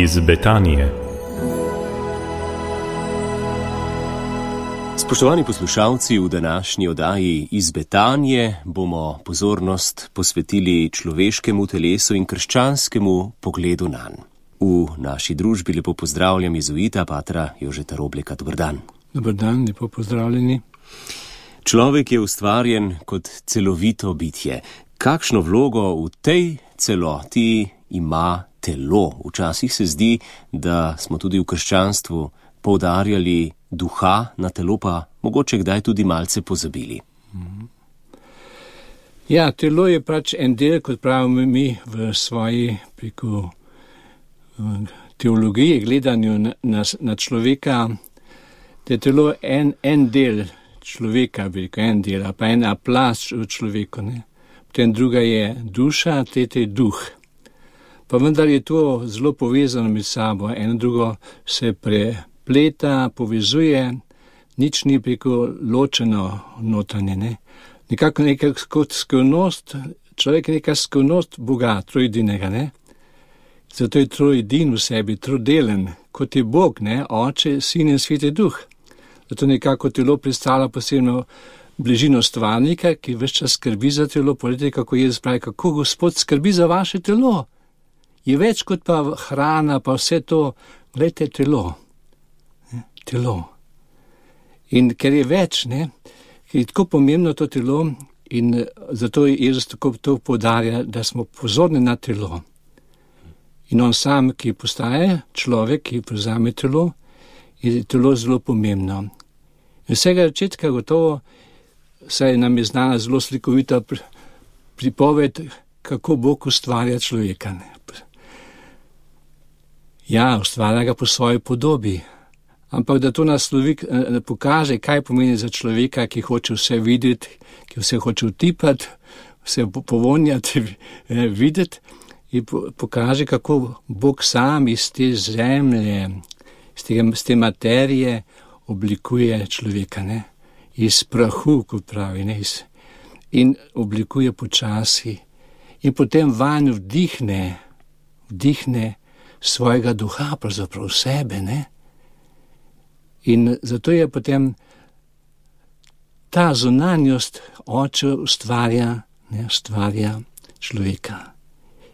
iz Betanije. Spoštovani poslušalci, v današnji oddaji iz Betanije bomo pozornost posvetili človeškemu telesu in krščanskemu pogledu nanj. V naši družbi lepo pozdravljam jezuita patra Jožeta Robleka. Dober dan. Dober dan, lepo pozdravljeni. Človek je ustvarjen kot celovito bitje. Kakšno vlogo v tej celoti ima telo? Včasih se zdi, da smo tudi v krščanstvu poudarjali duha, na telo pa mogoče kdaj tudi malce pozabili. Ja, telo je pač en del, kot pravimo mi v svoji preko teologiji, gledanju na človeka, da je telo en del človeka, en del, pa ena plast v človeku. Ne? Potem druga je duša, tretja je duh. Pa vendar je to zelo povezano med sabo, eno drugo se prepleta, povezuje, nič ni preko ločeno notranje. Ne? Nekako neka kot skrivnost, človek je neka skrivnost Boga, trojedinega. Ne? Zato je trojedin v sebi, trodelen, kot je Bog, ne? Oče, Sin in Sveti Duh. Zato nekako telo predstavlja posebno bližino stvarnika, ki ves čas skrbi za telo. Poglejte, kako Jezus pravi, kako Gospod skrbi za vaše telo. Je več kot pa hrana, pa vse to. Glejte, telo. Telo. In ker je več, ne, je tako pomembno to telo in zato je Jezus tako to poudarja, da smo pozorni na telo. In on sam, ki postaje človek, ki prevzame telo, je telo zelo pomembno. In vsega začetka gotovo saj nam je znana zelo slikovita pripoved, kako Bog ustvarja človeka. Ja, ustvarja ga po svoji podobi. Ampak da to naslovi, pokaže, kaj pomeni za človeka, ki hoče vse videti, ki vse hoče utipati, vse povonjati, videti, in pokaže, kako Bog sam iz te zemlje, iz te materije oblikuje človeka, ne? Iz prahu, kot pravi, ne? In oblikuje počasi. In potem vanj vdihne svojega duha, pravzaprav sebe, ne? In zato je potem ta zunanjost oče ustvarja človeka.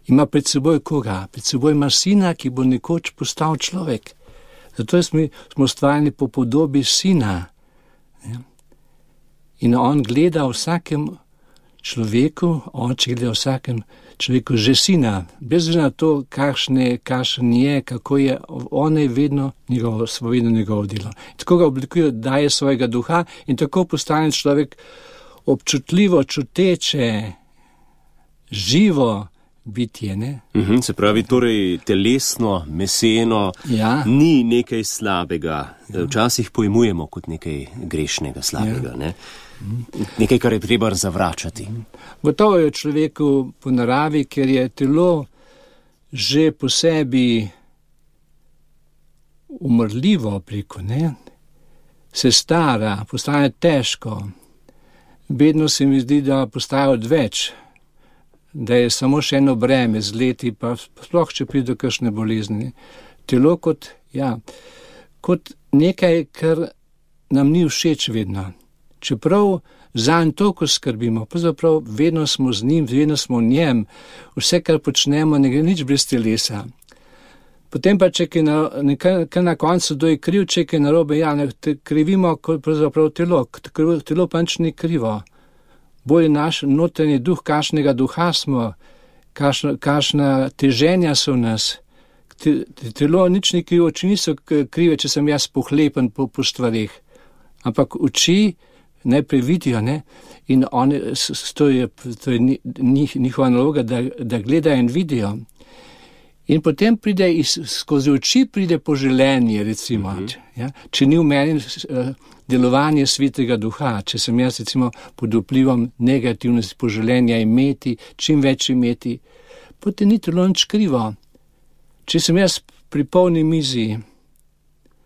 Ima pred seboj koga? Pred seboj ima sina, ki bo nekoč postal človek. Zato smo ustvarjeni po podobi sina. In on gleda vsakem človeku, oče gleda vsakem človeku že sina. Bez na to, kakšen je, kako je, on je vedno njegovo delo. Tako ga oblikuje, daje svojega duha in tako postane človek občutljivo, čuteče, živo bitje, ne? Se pravi, torej telesno, meseno, ja. Ni nekaj slabega. Včasih pojmujemo kot nekaj grešnega, slabega, ja. Ne? Nekaj, kar je treba zavračati. Gotovo je človeku po naravi, ker je telo že po sebi umrljivo preko, ne? Se stara, postane težko. Vedno se mi zdi, da postaja odveč, da je samo še eno breme z leti, pa sploh, če pride do kakšne bolezni. Telo kot nekaj, kar nam ni všeč vedno. Čeprav zanj toliko skrbimo, pravzaprav vedno smo z njim, vedno smo v njem, vse, kar počnemo, ne gre nič brez telesa. Potem pa, če kar na koncu doj kriv, če je narobe, ja, krivimo pravzaprav telo, telo pa nič ni krivo. Bolj naš notranji duh, kakšnega duha smo, kakšna teženja so v nas. Telo nič ni krivo, oči niso krive, če sem jaz pohlepen po stvarih. Ampak oči najprej vidijo, ne? In to je njihova naloga, da gledajo in vidijo. In potem skozi oči pride poželenje, recimo, ja? Če ni v meni delovanje svetega duha, če sem jaz recimo pod vplivom negativnosti poželenja imeti, čim več imeti, potem ni telo nič krivo. Če sem jaz pri polni mizi,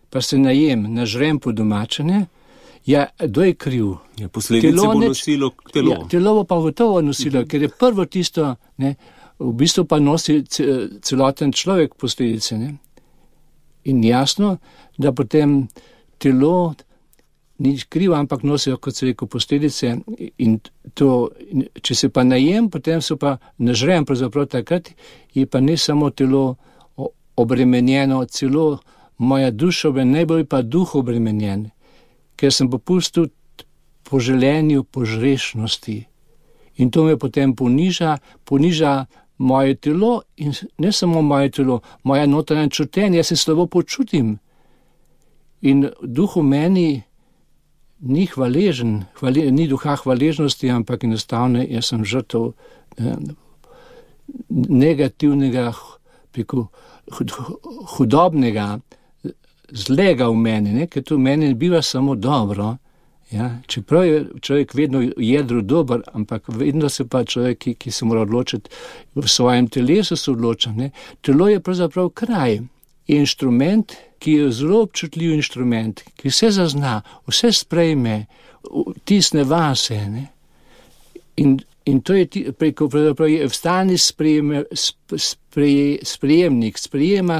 pa se najem, nažrem po domačene, ja, kdo je kriv? Ja, posledice bo nosilo telo. Ja, telo bo pa gotovo nosilo, ker je prvo tisto, ne, v bistvu pa nosi celoten človek posledice, ne. In jasno, da potem telo ni krivo, ampak nosijo, kot se rekel, posledice in to, če se pa najem, potem se pa nažrem, pravzaprav takrat je pa ne samo telo obremenjeno, celo moja duša obremenjena, najbolj pa duh obremenjen, ker sem popustil po želenju požrešnosti. In to me potem poniža moje telo in ne samo moje telo, moja notranja čutenja, jaz se slabo počutim. In duh v meni ni hvaležen, ni duha hvaležnosti, ampak enostavno jaz sem žrtev negativnega, hudobnega, zlega v meni, ne? Ker to v meni biva samo dobro. Ja? Čeprav je človek vedno v jedru dober, ampak vedno se pa človek, ki se mora odločiti, v svojem telesu se odloča. Ne? Telo je pravzaprav kraj, je inštrument, ki je zelo občutljiv inštrument, ki vse zazna, vse sprejme, tisne vase. Ne? In to je preko, pravzaprav je vstani sprejemnik, sprejema,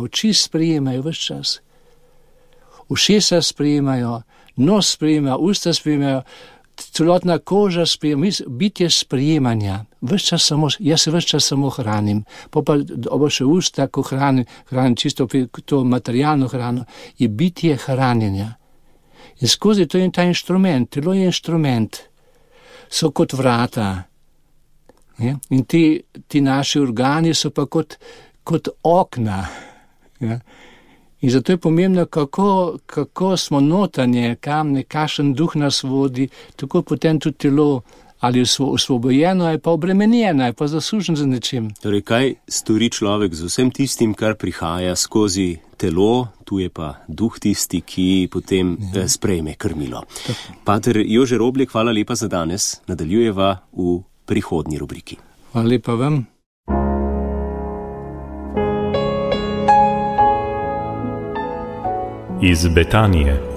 oči sprejemajo vse čas. Ušesa sprejemajo, nos sprejemajo, usta sprejemajo, celotna koža sprejema, bitje sprejemanja. Jaz se vse čas samo hranim, pa še usta, ko hranim čisto to materialno hrano, je bitje hranjenja. In skozi to je ta inštrument, telo je inštrument, so kot vrata. Ja? In ti naši organi so pa kot okna. Ja? In zato je pomembno, kako smo notanje, kakšen duh nas vodi, tako potem tudi telo ali osvobojeno, ali pa obremenjeno, ali pa zaslužen za nečim. Torej, kaj stori človek z vsem tistim, kar prihaja skozi telo, tu je pa duh tisti, ki potem sprejme krmilo. Pater Jože Roblek, hvala lepa za danes. Nadaljujeva v prihodnji rubriki. Hvala lepa vam. Iz Betanije.